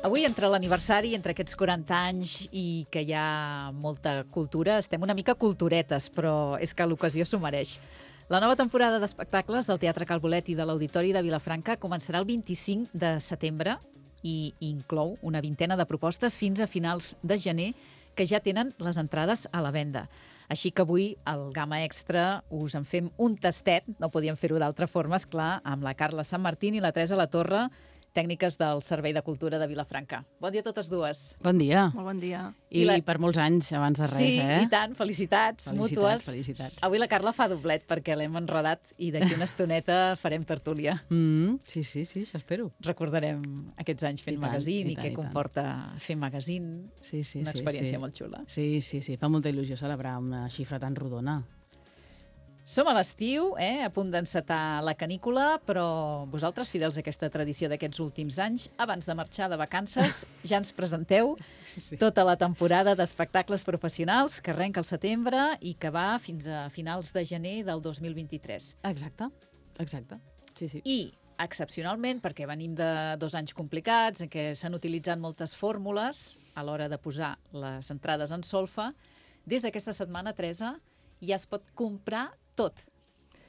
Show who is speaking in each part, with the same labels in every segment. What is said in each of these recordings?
Speaker 1: Avui, entre l'aniversari, entre aquests 40 anys i que hi ha molta cultura, estem una mica culturetes, però és que l'ocasió s'ho mereix. La nova temporada d'espectacles del Teatre Cal Bolet i de l'Auditori de Vilafranca començarà el 25 de setembre i inclou una vintena de propostes fins a finals de gener que ja tenen les entrades a la venda. Així que avui, al Gamma Extra, us en fem un tastet, no podíem fer-ho d'altra forma, esclar, amb la Carla Sant Martín i la Teresa Latorre, tècniques del Servei de Cultura de Vilafranca. Bon dia a totes dues.
Speaker 2: Bon dia.
Speaker 3: Molt bon dia.
Speaker 2: I per molts anys, abans de res,
Speaker 1: sí, i tant. Felicitats mútues.
Speaker 2: Felicitats.
Speaker 1: Avui la Carla fa doblet perquè l'hem enredat i d'aquí una estoneta farem tertúlia.
Speaker 2: Sí, això espero.
Speaker 1: Recordarem aquests anys fent magazine i què comporta fer magazine.
Speaker 2: Sí,
Speaker 1: una experiència molt xula.
Speaker 2: Sí. Fa molta il·lusió celebrar una xifra tan rodona.
Speaker 1: Som a l'estiu, a punt d'encetar la canícula, però vosaltres, fidels a aquesta tradició d'aquests últims anys, abans de marxar de vacances, ja ens presenteu tota la temporada d'espectacles professionals que arrenca al setembre i que va fins a finals de gener del 2023.
Speaker 2: Exacte. Sí.
Speaker 1: I, excepcionalment, perquè venim de 2 anys complicats, en què s'han utilitzat moltes fórmules a l'hora de posar les entrades en solfa, des d'aquesta setmana, Teresa, ja es pot comprar tot.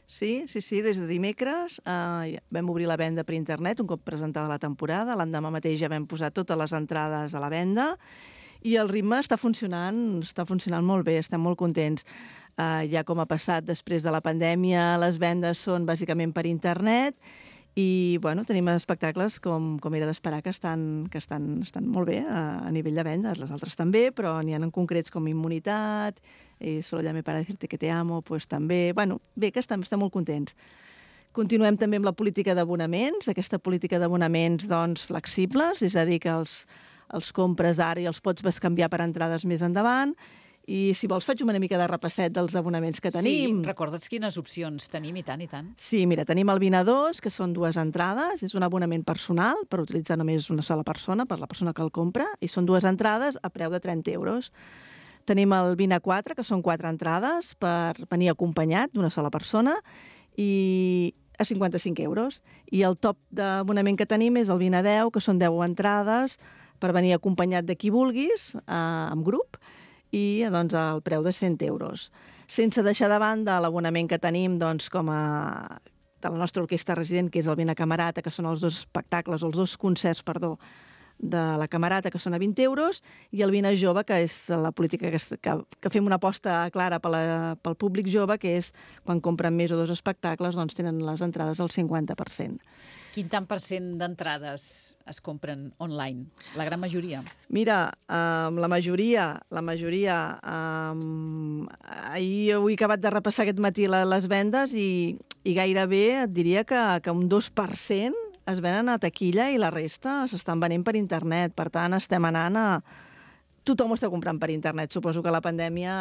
Speaker 3: Sí, des de dimecres vam obrir la venda per internet un cop presentada la temporada. L'endemà mateix ja vam posar totes les entrades a la venda i el ritme està funcionant molt bé, estem molt contents. Ja com ha passat després de la pandèmia, les vendes són bàsicament per internet i tenim espectacles com era d'esperar que estan molt bé a nivell de vendes. Les altres també, però n'hi ha en concrets com Immunitat, Solo llame para decirte que te amo, pues també. Bé, que estem molt contents. Continuem també amb la política d'abonaments, aquesta política d'abonaments flexibles, és a dir, que els compres ara i els pots bescanviar per entrades més endavant. I si vols faig una mica de repasset dels abonaments que tenim.
Speaker 1: Sí, recorda'ns quines opcions tenim, i tant.
Speaker 3: Sí, mira, tenim el 20 a 2, que són 2 entrades, és un abonament personal per utilitzar només una sola persona, per la persona que el compra, i són 2 entrades a preu de 30 euros. Tenim el 20 a 4, que són 4 entrades per venir acompanyat d'una sola persona, i a 55 euros. I el top d'abonament que tenim és el 20 a 10, que són 10 entrades per venir acompanyat de qui vulguis, en grup, i al preu de 100 euros. Sense deixar de banda l'abonament que tenim com a de la nostra orquestra resident, que és el Vina Camerata, que són els 2 espectacles, els 2 concerts, de la Camerata, que són a 20 euros, i el Vina Jove, que és la política que fem una aposta clara pel públic jove, que és quan compren més o 2 espectacles, tenen les entrades al 50%.
Speaker 1: Quin tant per cent d'entrades es compren online? La gran majoria?
Speaker 3: Mira, la majoria. Avui he acabat de repassar aquest matí les vendes i gairebé et diria que un 2% es venen a taquilla i la resta s'estan venent per internet. Per tant, estem anant a... Tothom ho està comprant per internet. Suposo que la pandèmia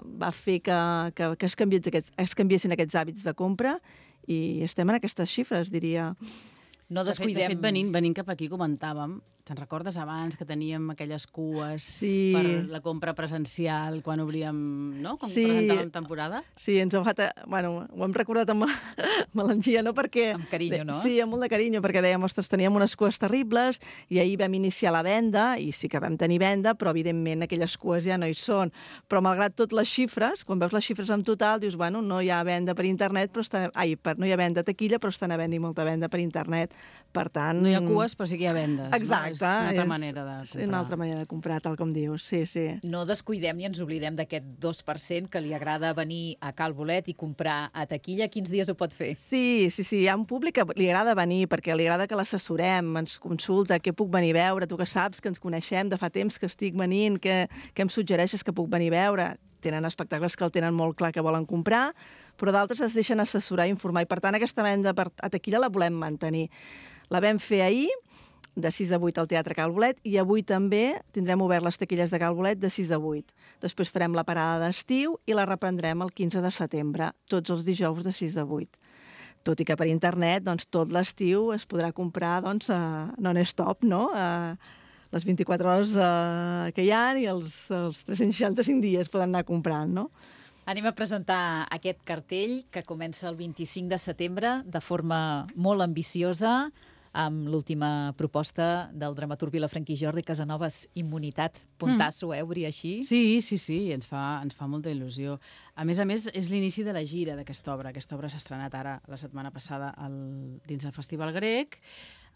Speaker 3: va fer que es canviessin aquests hàbits de compra i estem en aquestes xifres, diria.
Speaker 1: No descuidem...
Speaker 2: De fet, venint cap aquí comentàvem, te'n recordes abans que teníem aquelles cues per la compra presencial quan obríem, no? Quan presentàvem temporada?
Speaker 3: Sí, ens ho hem recordat amb melangia, no? Perquè...
Speaker 1: Amb carinyo, no?
Speaker 3: Sí, amb molt de carinyo, perquè dèiem, ostres, teníem unes cues terribles i ahir vam iniciar la venda, i sí que vam tenir venda, però evidentment aquelles cues ja no hi són. Però malgrat tot les xifres, quan veus les xifres en total, dius, no hi ha venda per internet, no hi ha venda a taquilla, però estan havent-hi molta venda per internet. Per tant...
Speaker 2: No hi ha cues, però sí que hi ha vendes.
Speaker 3: Exacte.
Speaker 2: No? És una altra manera de comprar.
Speaker 3: És una altra manera de comprar, tal com dius, sí.
Speaker 1: No descuidem ni ens oblidem d'aquest 2% que li agrada venir a Cal Bolet i comprar a taquilla. Quins dies ho pot fer?
Speaker 3: Sí, hi ha un públic que li agrada venir, perquè li agrada que l'assessorem, ens consulta què puc venir a veure, tu que saps que ens coneixem de fa temps que estic venint, què em suggereixes que puc venir a veure? Tenen espectacles que el tenen molt clar que volen comprar, però d'altres es deixen assessorar i informar, i per tant aquesta venda a taquilla la volem mantenir. La vam fer ahir, de 6 a 8 al Teatre Cal Bolet, i avui també tindrem obert les taquilles de Cal Bolet de 6 a 8. Després farem la parada d'estiu i la reprendrem el 15 de setembre, tots els dijous de 6 a 8. Tot i que per internet, tot l'estiu es podrà comprar non-stop, no? Les 24 hores que hi ha i els 365 dies poden anar comprant, no?
Speaker 1: Anem a presentar aquest cartell que comença el 25 de setembre de forma molt ambiciosa, amb l'última proposta del dramaturg vilafranquí Jordi Casanovas, Immunitat. Puntasso, obrir així?
Speaker 2: Sí, ens fa molta il·lusió. A més, és l'inici de la gira d'aquesta obra. Aquesta obra s'ha estrenat ara, la setmana passada, dins del Festival Grec,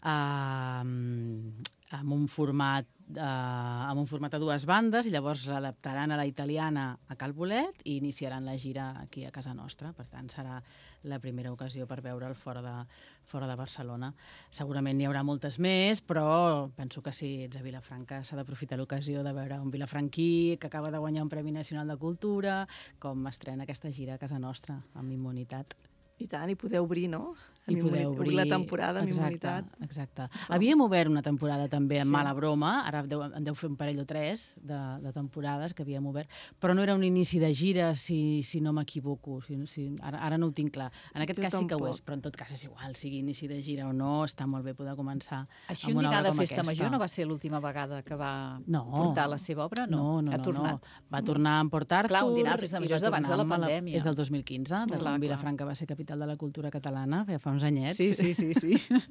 Speaker 2: amb un format a dues bandes, i llavors l'adaptaran a la italiana a Cal Bolet i iniciaran la gira aquí a casa nostra. Per tant, serà la primera ocasió per veure'l fora de Barcelona. Segurament n'hi haurà moltes més, però penso que si ets a Vilafranca s'ha d'aprofitar l'ocasió de veure un vilafranquí que acaba de guanyar un Premi Nacional de Cultura, com estrena aquesta gira a casa nostra, amb Immunitat.
Speaker 3: I tant, i podeu obrir, no?
Speaker 2: I podeu
Speaker 3: obrir la temporada amb Immunitat.
Speaker 2: Exacte. Havíem obert una temporada també amb Mala Broma, ara en deu fer un parell o tres de temporades que havíem obert, però no era un inici de gira, si no m'equivoco. Ara no ho tinc clar. En aquest cas sí que ho és, però en tot cas és igual, sigui inici de gira o no, està molt bé poder començar
Speaker 1: així un dinar de festa major no va ser l'última vegada que va portar la seva obra?
Speaker 2: No.
Speaker 1: Ha tornat.
Speaker 2: Va tornar amb Port Arthur.
Speaker 1: Clar, un dinar de festa major és d'abans de la pandèmia.
Speaker 2: És del 2015, quan Vilafranca va ser capital de la cultura catalana, fa uns anyets.
Speaker 1: Sí.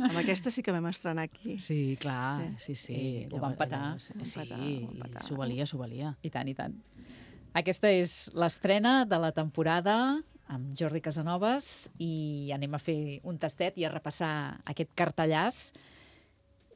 Speaker 3: Amb aquesta sí que vam estrenar aquí.
Speaker 2: Sí, clar, sí.
Speaker 1: Ho van petar.
Speaker 2: Sí, s'ho valia.
Speaker 1: I tant. Aquesta és l'estrena de la temporada amb Jordi Casanovas i anem a fer un tastet i a repassar aquest cartellàs.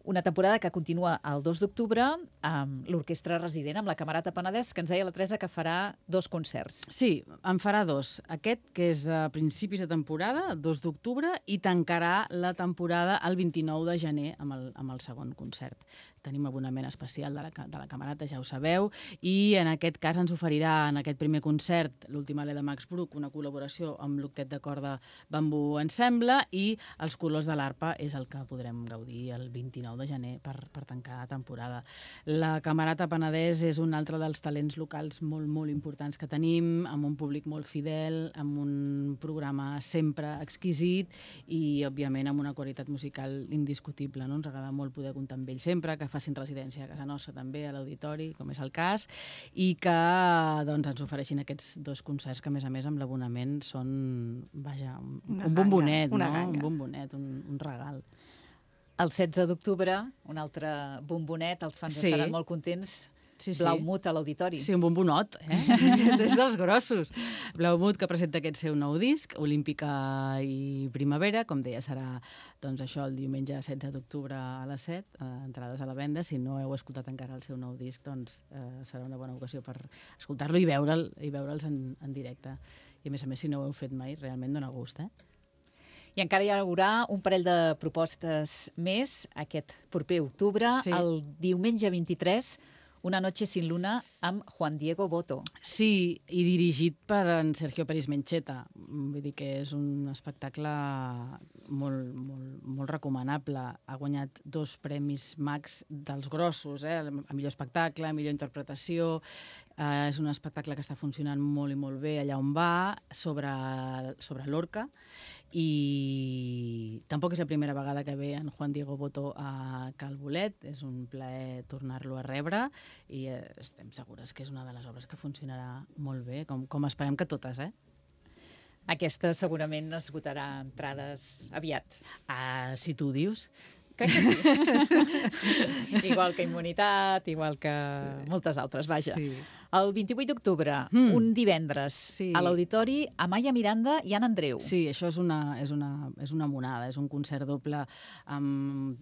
Speaker 1: Una temporada que continua el 2 d'octubre amb l'Orquestra Resident, amb la Camerata Penedès, que ens deia la Teresa que farà 2 concerts.
Speaker 2: Sí, en farà 2. Aquest, que és a principis de temporada, el 2 d'octubre, i tancarà la temporada el 29 de gener amb el segon concert. Tenim abonament especial de la Camerata, ja ho sabeu, i en aquest cas ens oferirà en aquest primer concert l'última Leda Max Bruch, una col·laboració amb l'Octet de Corda Bambú Ensemble, i els colors de l'Arpa és el que podrem gaudir el 29 de gener per tancar la temporada. La Camerata Penedès és un altre dels talents locals molt, molt importants que tenim, amb un públic molt fidel, amb un programa sempre exquisit i, òbviament, amb una qualitat musical indiscutible. No? Ens agrada molt poder comptar amb ells sempre, que facin residència a casa nostra també, a l'auditori, com és el cas, i que ens ofereixin aquests 2 concerts que, a més, amb l'abonament són, un bombonet, un bombonet, un regal.
Speaker 1: El 16 d'octubre, un altre bombonet, els fans estaran molt contents. Blaumut a l'auditori.
Speaker 2: Sí, un bombonot, des dels grossos. Blaumut, que presenta aquest seu nou disc, Olímpica i Primavera, com deia, serà això el diumenge 16 d'octubre a les 7, entrades a la venda. Si no heu escoltat encara el seu nou disc, serà una bona ocasió per escoltar-lo i veure'ls en directe. I, a més, si no ho heu fet mai, realment dona gust,
Speaker 1: I encara hi haurà un parell de propostes més aquest proper octubre, el diumenge 23, Una noche sin luna, amb Juan Diego Boto.
Speaker 2: Sí, i dirigit per en Sergio Peris Mencheta. Vull dir que és un espectacle molt recomanable. Ha guanyat 2 premis Max dels grossos, a millor espectacle, a millor interpretació. És un espectacle que està funcionant molt i molt bé allà on va, sobre Lorca. I tampoc és la primera vegada que ve en Juan Diego Boto a Cal Bolet. És un plaer tornar-lo a rebre i estem segures que és una de les obres que funcionarà molt bé, com esperem que totes,
Speaker 1: Aquesta segurament esgotarà entrades aviat.
Speaker 2: Si tu ho dius.
Speaker 1: Crec que sí. Igual que Immunitat, igual que moltes altres, vaja.
Speaker 2: Sí.
Speaker 1: El 28 d'octubre, un divendres, a l'Auditori, Amaya Miranda i Anna Andreu.
Speaker 2: Sí, això és una monada, és un concert doble amb...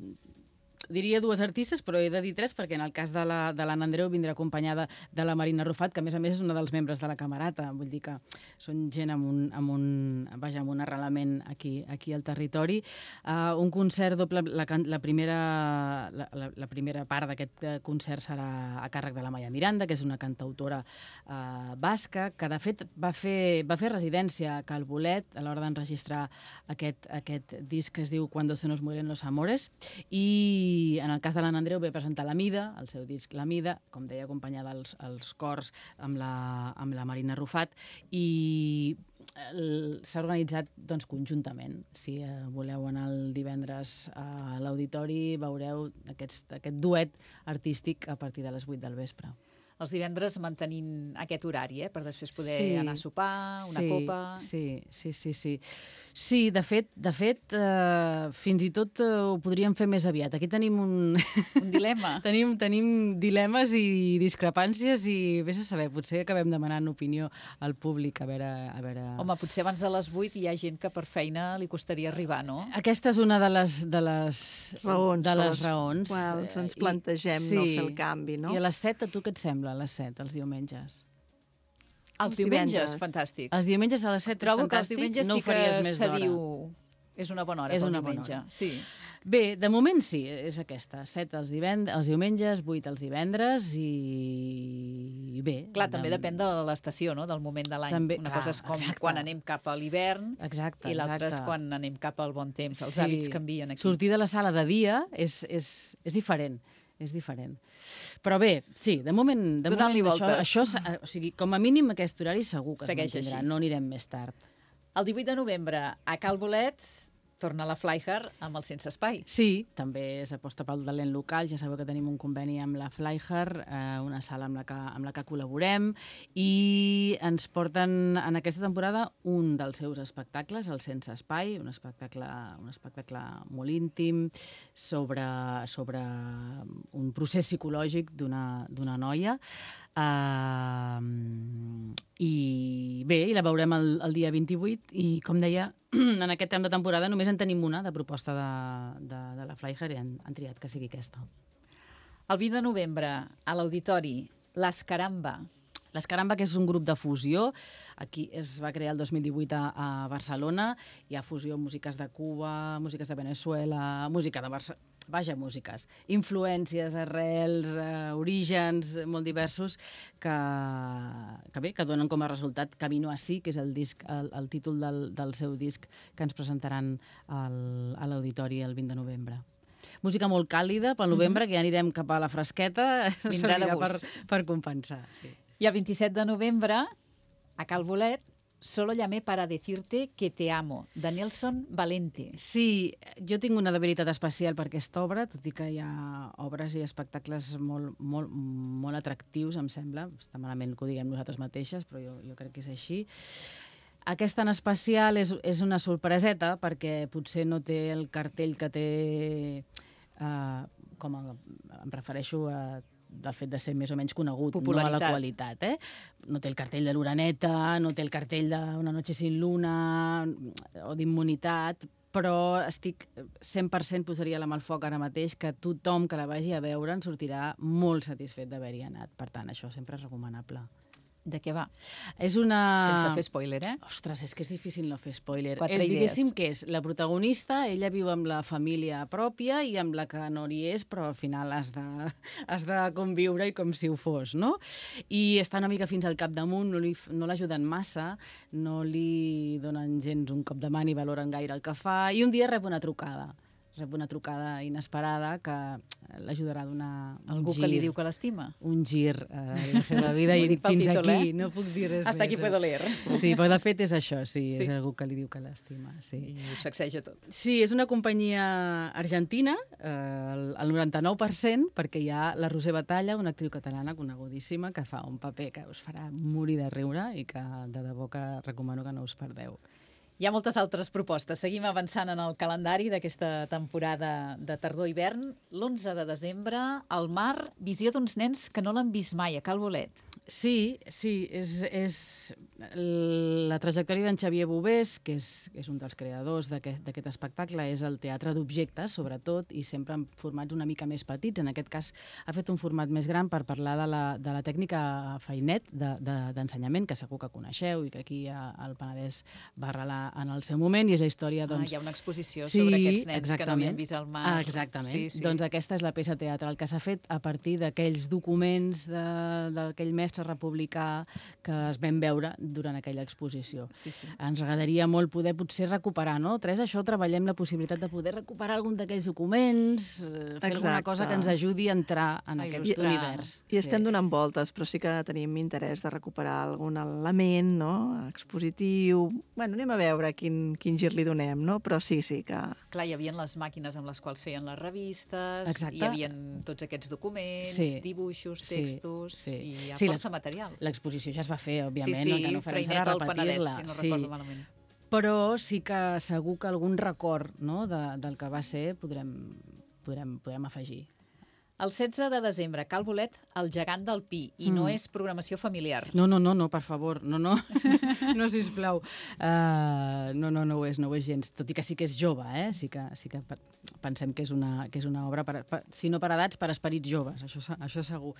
Speaker 2: Diria 2 artistes, però he de dir 3, perquè en el cas de l'Anna Andreu vindrà acompanyada de la Marina Rufat, que a més és una dels membres de la Camerata. Vull dir que són gent amb un arrelament aquí al territori. Un concert doble, la primera part d'aquest concert serà a càrrec de la Amaya Miranda, que és una cantautora basca, que de fet va fer residència a Cal Bolet a l'hora d'enregistrar aquest disc que es diu Cuando se nos mueren los amores, i en el cas de l'Anna Andreu ve presentar La Mida, el seu disc La Mida, com deia, acompanyada als cors amb la Marina Rufat, i s'ha organitzat conjuntament. Si voleu anar el divendres a l'Auditori, veureu aquest duet artístic a partir de les 8 del vespre.
Speaker 1: Els divendres mantenint aquest horari, per després poder anar a sopar, una copa...
Speaker 2: Sí. Sí, de fet, fins i tot ho podríem fer més aviat. Aquí tenim
Speaker 1: Un dilema.
Speaker 2: tenim dilemes i discrepàncies i vés a saber, potser acabem demanant opinió al públic, a veure...
Speaker 1: Home, potser abans de les 8 hi ha gent que per feina li costaria arribar, no?
Speaker 2: Aquesta és una de les
Speaker 3: raons quals ens plantegem no fer el canvi, no?
Speaker 2: I a les 7, a tu què et sembla, a les 7, els diumenges?
Speaker 1: Els diumenges, fantàstic.
Speaker 2: Els diumenges a les 7
Speaker 1: Trobo
Speaker 2: és fantàstic.
Speaker 1: que els diumenges
Speaker 2: no
Speaker 1: sí que
Speaker 2: se
Speaker 1: diu... És una bona hora pel diumenge. Sí.
Speaker 2: Bé, de moment sí, és aquesta. 7 els diumenges, 8 els divendres i bé.
Speaker 1: Clar, també depèn de l'estació, no? Del moment de l'any. Una cosa és com quan anem cap a l'hivern i l'altra és quan anem cap al bon temps. Els hàbits canvien aquí.
Speaker 2: Sortir de la sala de dia és diferent. És diferent. Però bé, sí, de moment
Speaker 1: donant-li voltes.
Speaker 2: Això, o sigui, com a mínim aquest horari segur que
Speaker 1: segueix
Speaker 2: es mantindrà,
Speaker 1: així.
Speaker 2: no anirem més tard.
Speaker 1: El 18 de novembre, a Cal Bolet, torna la Flyhard amb el Sense Espai.
Speaker 2: Sí, també s'aposta pel talent local. Ja sabeu que tenim un conveni amb la Flyhard, una sala amb la que col·laborem, i ens porten en aquesta temporada un dels seus espectacles, el Sense Espai, un espectacle molt íntim sobre un procés psicològic d'una noia. I bé, la veurem el dia 28 i, com deia, en aquest temps de temporada només en tenim una de proposta de la Flyhard i han triat que sigui aquesta.
Speaker 1: El 20 de novembre, a l'Auditori, l'Escaramba.
Speaker 2: L'Escaramba, que és un grup de fusió, aquí es va crear el 2018 a Barcelona, hi ha fusió, músiques de Cuba, músiques de Venezuela, música de Barcelona, músiques, influències, arrels, orígens molt diversos que donen com a resultat Camino Así, que és el títol del seu disc que ens presentaran a l'Auditori el 20 de novembre. Música molt càlida pel novembre, que ja anirem cap a la fresqueta,
Speaker 1: vindrà de gust
Speaker 2: per compensar. Sí.
Speaker 1: I el 27 de novembre, a Cal Bolet, Solo llamé para decirte que te amo, de Nelson Valente.
Speaker 2: Sí, jo tinc una debilitat especial per aquesta obra, tot i que hi ha obres i espectacles molt atractius, em sembla. Està malament que ho diguem nosaltres mateixes, però jo crec que és així. Aquesta en especial és una sorpreseta, perquè potser no té el cartell que té, em refereixo a del fet de ser més o menys conegut, no a la qualitat. No té el cartell de l'Uraneta, no té el cartell d'Una noche sin luna o d'Immunitat, però estic 100% posaria la mà al foc ara mateix que tothom que la vagi a veure en sortirà molt satisfet d'haver-hi anat. Per tant, això sempre és recomanable.
Speaker 1: De què va?
Speaker 2: És una...
Speaker 1: Sense fer spoiler,
Speaker 2: Ostres, és que és difícil no fer spoiler.
Speaker 1: 4 idees.
Speaker 2: Diguéssim que és la protagonista, ella viu amb la família pròpia i amb la que no hi és, però al final has de conviure i com si ho fos, no? I està una mica fins al capdamunt, no l'ajuden massa, no li donen gens un cop de mà ni valoren gaire el que fa, i un dia rep una trucada inesperada que l'ajudarà a donar
Speaker 1: algú que li diu que l'estima.
Speaker 2: Un gir a la seva vida i dic fins aquí, no puc dir res
Speaker 1: Hasta aquí puedo leer.
Speaker 2: Sí, però de fet és això, sí, és algú que li diu que l'estima. Sí.
Speaker 1: I ho sacseja tot.
Speaker 2: Sí, és una companyia argentina, el 99%, perquè hi ha la Roser Batalla, una actriu catalana conegudíssima, que fa un paper que us farà morir de riure i que de debò que recomano que no us perdeu.
Speaker 1: Hi ha moltes altres propostes. Seguim avançant en el calendari d'aquesta temporada de tardor-hivern. L'11 de desembre, al mar, visió d'uns nens que no l'han vist mai, a Cal Bolet.
Speaker 2: Sí, és la trajectòria d'en Xavier Bovés, que és un dels creadors d'aquest espectacle, és el teatre d'objectes, sobretot, i sempre en formats una mica més petits. En aquest cas ha fet un format més gran per parlar de la tècnica Fainet d'ensenyament, que segur que coneixeu i que aquí al Penedès va arrelar en el seu moment, i és la història...
Speaker 1: Hi ha una exposició sobre aquests nens que no havien vist el mar.
Speaker 2: Exactament. Sí. Doncs aquesta és la peça teatral que s'ha fet a partir d'aquells documents d'aquell mestre republicà que es vam veure durant aquella exposició.
Speaker 1: Sí.
Speaker 2: Ens agradaria molt poder potser recuperar, no? Això treballem la possibilitat de poder recuperar algun d'aquells documents, fer alguna cosa que ens ajudi a entrar en aquest univers.
Speaker 3: I estem donant voltes, però sí que tenim interès de recuperar algun element, no?, expositiu. Bueno, anem a veure quin gir li donem, no? Però sí que...
Speaker 1: Clar, hi havia les màquines amb les quals feien les revistes,
Speaker 2: exacte.
Speaker 1: Hi havia tots aquests documents, dibuixos, textos, i hi ha força material.
Speaker 2: L'exposició ja es va fer, òbviament,
Speaker 1: sí,
Speaker 2: el que no farem serà repetir-la.
Speaker 1: Si no recordo malament.
Speaker 2: però sí que segur que algun record, no?, del que va ser podrem afegir.
Speaker 1: El 16 de desembre, Cal Bolet, el gegant del Pi, i no és programació familiar.
Speaker 2: No, per favor, no, sisplau. No ho és gens, tot i que sí que és jove, sí que pensem que és una obra, si no per edats, per esperits joves, això segur.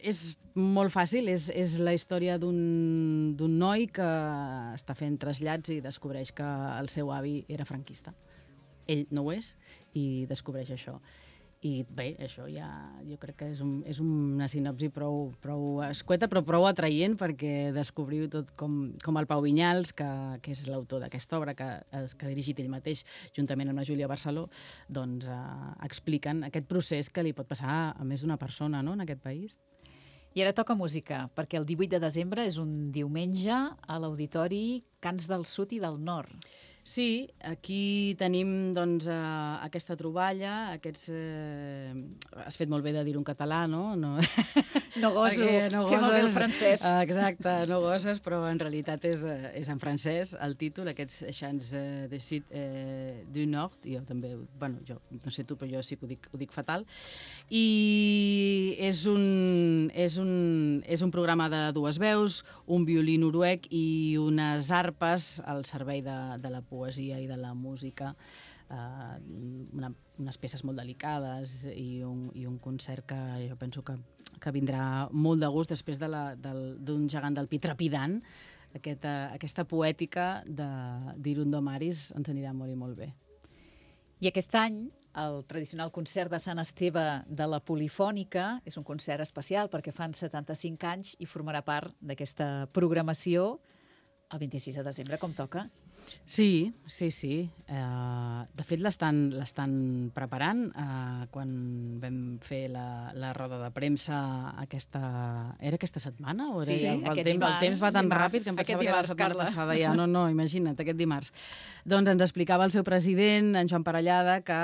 Speaker 2: És molt fàcil, és la història d'un noi que està fent trasllats i descobreix que el seu avi era franquista. Ell no ho és i descobreix això. I bé, això ja jo crec que és una sinopsi prou escueta, però prou atraient perquè descobriu tot com el Pau Vinyals, que és l'autor d'aquesta obra, que ha dirigit ell mateix, juntament amb la Júlia Barceló, doncs expliquen aquest procés que li pot passar a més d'una persona, no?, en aquest país.
Speaker 1: I ara toca música, perquè el 18 de desembre és un diumenge a l'Auditori Cants del Sud i del Nord.
Speaker 2: Sí, aquí tenim doncs, aquesta troballa, has fet molt bé de dir-ho en català, no?
Speaker 1: No goso, fer molt bé el francès.
Speaker 2: Exacte, no goses, però en realitat és en francès el títol, aquests Chants de Sud du Nord, i jo també, jo no sé tu, però jo sí que ho dic fatal, i és un programa de dues veus, un violí noruec i unes arpes al servei de la poesia i de la música, unes peces molt delicades i un concert que jo penso que vindrà molt de gust després d'un gegant del Pi trepidant. Aquesta poètica d'Irundo Maris ens anirà molt i molt bé.
Speaker 1: I aquest any, el tradicional concert de Sant Esteve de la Polifònica és un concert especial perquè fan 75 anys i formarà part d'aquesta programació el 26 de desembre, com toca.
Speaker 2: Sí. De fet, l'estan preparant. Quan vam fer la roda de premsa era aquesta setmana?
Speaker 1: Sí, aquest dimarts.
Speaker 2: El temps va tan ràpid que em pensava que era la setmana passada ja. No, imagina't, aquest dimarts. Doncs ens explicava el seu president, en Joan Parellada, que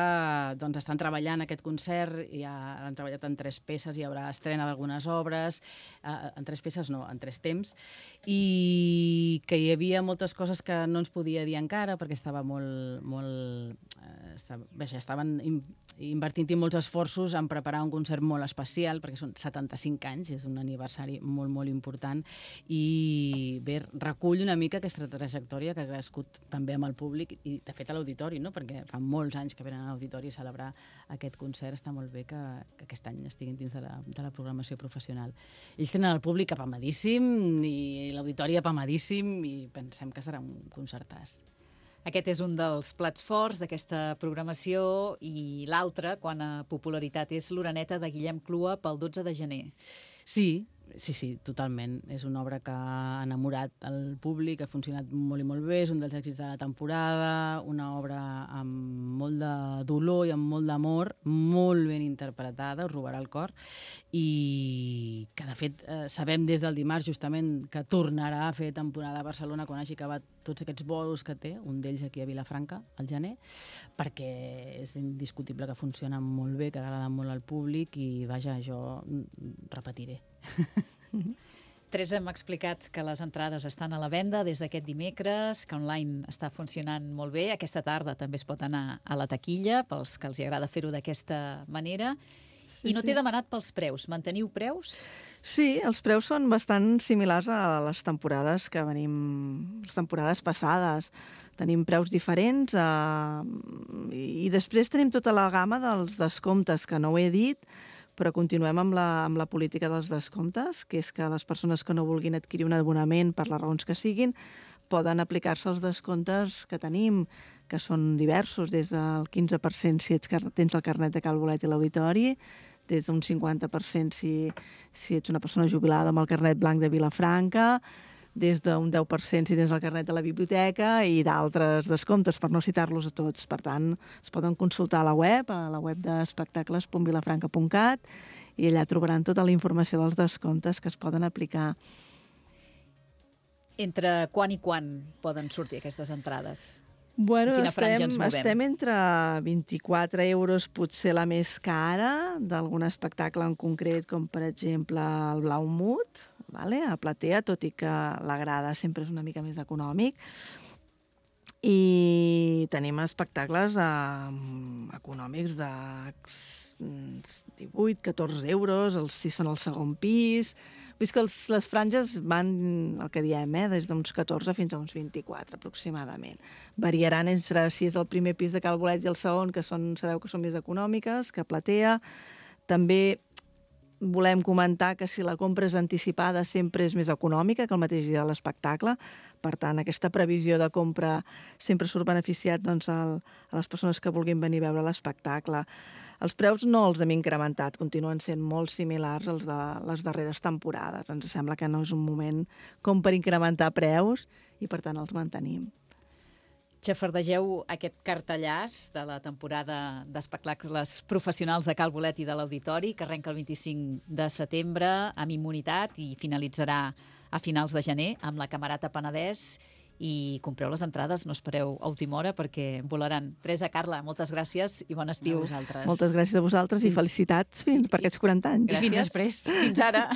Speaker 2: estan treballant aquest concert, ja han treballat en 3 peces, hi haurà estrena d'algunes obres, en 3 peces no, en 3 temps, i que hi havia moltes coses que no ens podia dir encara, perquè estava estaven invertint-hi molts esforços en preparar un concert molt especial, perquè són 75 anys, és un aniversari molt, molt important, i bé, recull una mica aquesta trajectòria que ha crescut també amb el públic, i de fet a l'auditori, no?, perquè fa molts anys que venen a l'auditori a celebrar aquest concert. Està molt bé que aquest any estiguin dins de la programació professional. Ells tenen el públic apamadíssim i l'auditori apamadíssim, i pensem que serà un concertàs.
Speaker 1: Aquest és un dels plats forts d'aquesta programació, i l'altre, quan a popularitat, és l'Oreneta de Guillem Clua pel 12 de gener.
Speaker 2: Sí, totalment. És una obra que ha enamorat el públic, ha funcionat molt i molt bé, és un dels èxits de la temporada, una obra amb molt de dolor i amb molt d'amor, molt ben interpretada, us robarà el cor, i que de fet sabem des del dimarts justament que tornarà a fer temporada a Barcelona quan hagi acabat tots aquests bolos que té, un d'ells aquí a Vilafranca, al gener, perquè és indiscutible que funciona molt bé, que agrada molt al públic, i vaja, jo repetiré.
Speaker 1: Teresa, hem explicat que les entrades estan a la venda des d'aquest dimecres, que online està funcionant molt bé. Aquesta tarda també es pot anar a la taquilla, pels que els agrada fer-ho d'aquesta manera. I no t'he demanat pels preus. Manteniu preus?
Speaker 3: Sí, els preus són bastant similars a les temporades que venim, les temporades passades. Tenim preus diferents i després tenim tota la gamma dels descomptes, que no ho he dit, però continuem amb la política dels descomptes, que és que les persones que no vulguin adquirir un abonament per les raons que siguin poden aplicar-se els descomptes que tenim, que són diversos, des del 15% si tens el carnet de Cal Bolet i l'Auditori, des d'un 50% si ets una persona jubilada amb el carnet blanc de Vilafranca, des d'un 10% si tens el carnet de la biblioteca, i d'altres descomptes, per no citar-los a tots. Per tant, es poden consultar a la web d'espectacles.vilafranca.cat, i allà trobaran tota la informació dels descomptes que es poden aplicar.
Speaker 1: Entre quan i quan poden sortir aquestes entrades?
Speaker 3: Bueno,
Speaker 1: quina franja ens movem?
Speaker 3: Estem entre 24 euros, potser la més cara, d'algun espectacle en concret, com per exemple el Blaumut, a Platea, tot i que la grada sempre és una mica més econòmic, I tenim espectacles econòmics de 18-14 euros, si són al segon pis. Vull dir que les franges van, el que diem, des d'uns 14 fins a uns 24 aproximadament. Variaran entre si és el primer pis de Cal Bolet i el segon, que sabeu que són més econòmiques, que Platea. També volem comentar que si la compra és anticipada sempre és més econòmica que el mateix dia de l'espectacle. Per tant, aquesta previsió de compra sempre surt beneficiat a les persones que vulguin venir a veure l'espectacle. Els preus no els hem incrementat, continuen sent molt similars als de les darreres temporades. Ens sembla que no és un moment com per incrementar preus i, per tant, els mantenim.
Speaker 1: Xafardegeu aquest cartellàs de la temporada d'espectacles professionals de Cal Bolet i de l'Auditori, que arrenca el 25 de setembre amb Immunitat i finalitzarà a finals de gener amb la Camerata Penedès. I compreu les entrades, no espereu a última hora perquè volaran. Teresa, Carla, moltes gràcies i bon estiu.
Speaker 2: A vosaltres.
Speaker 3: Moltes gràcies a vosaltres i felicitats per aquests 40 anys.
Speaker 1: Gràcies.
Speaker 2: Fins després.
Speaker 1: Fins ara.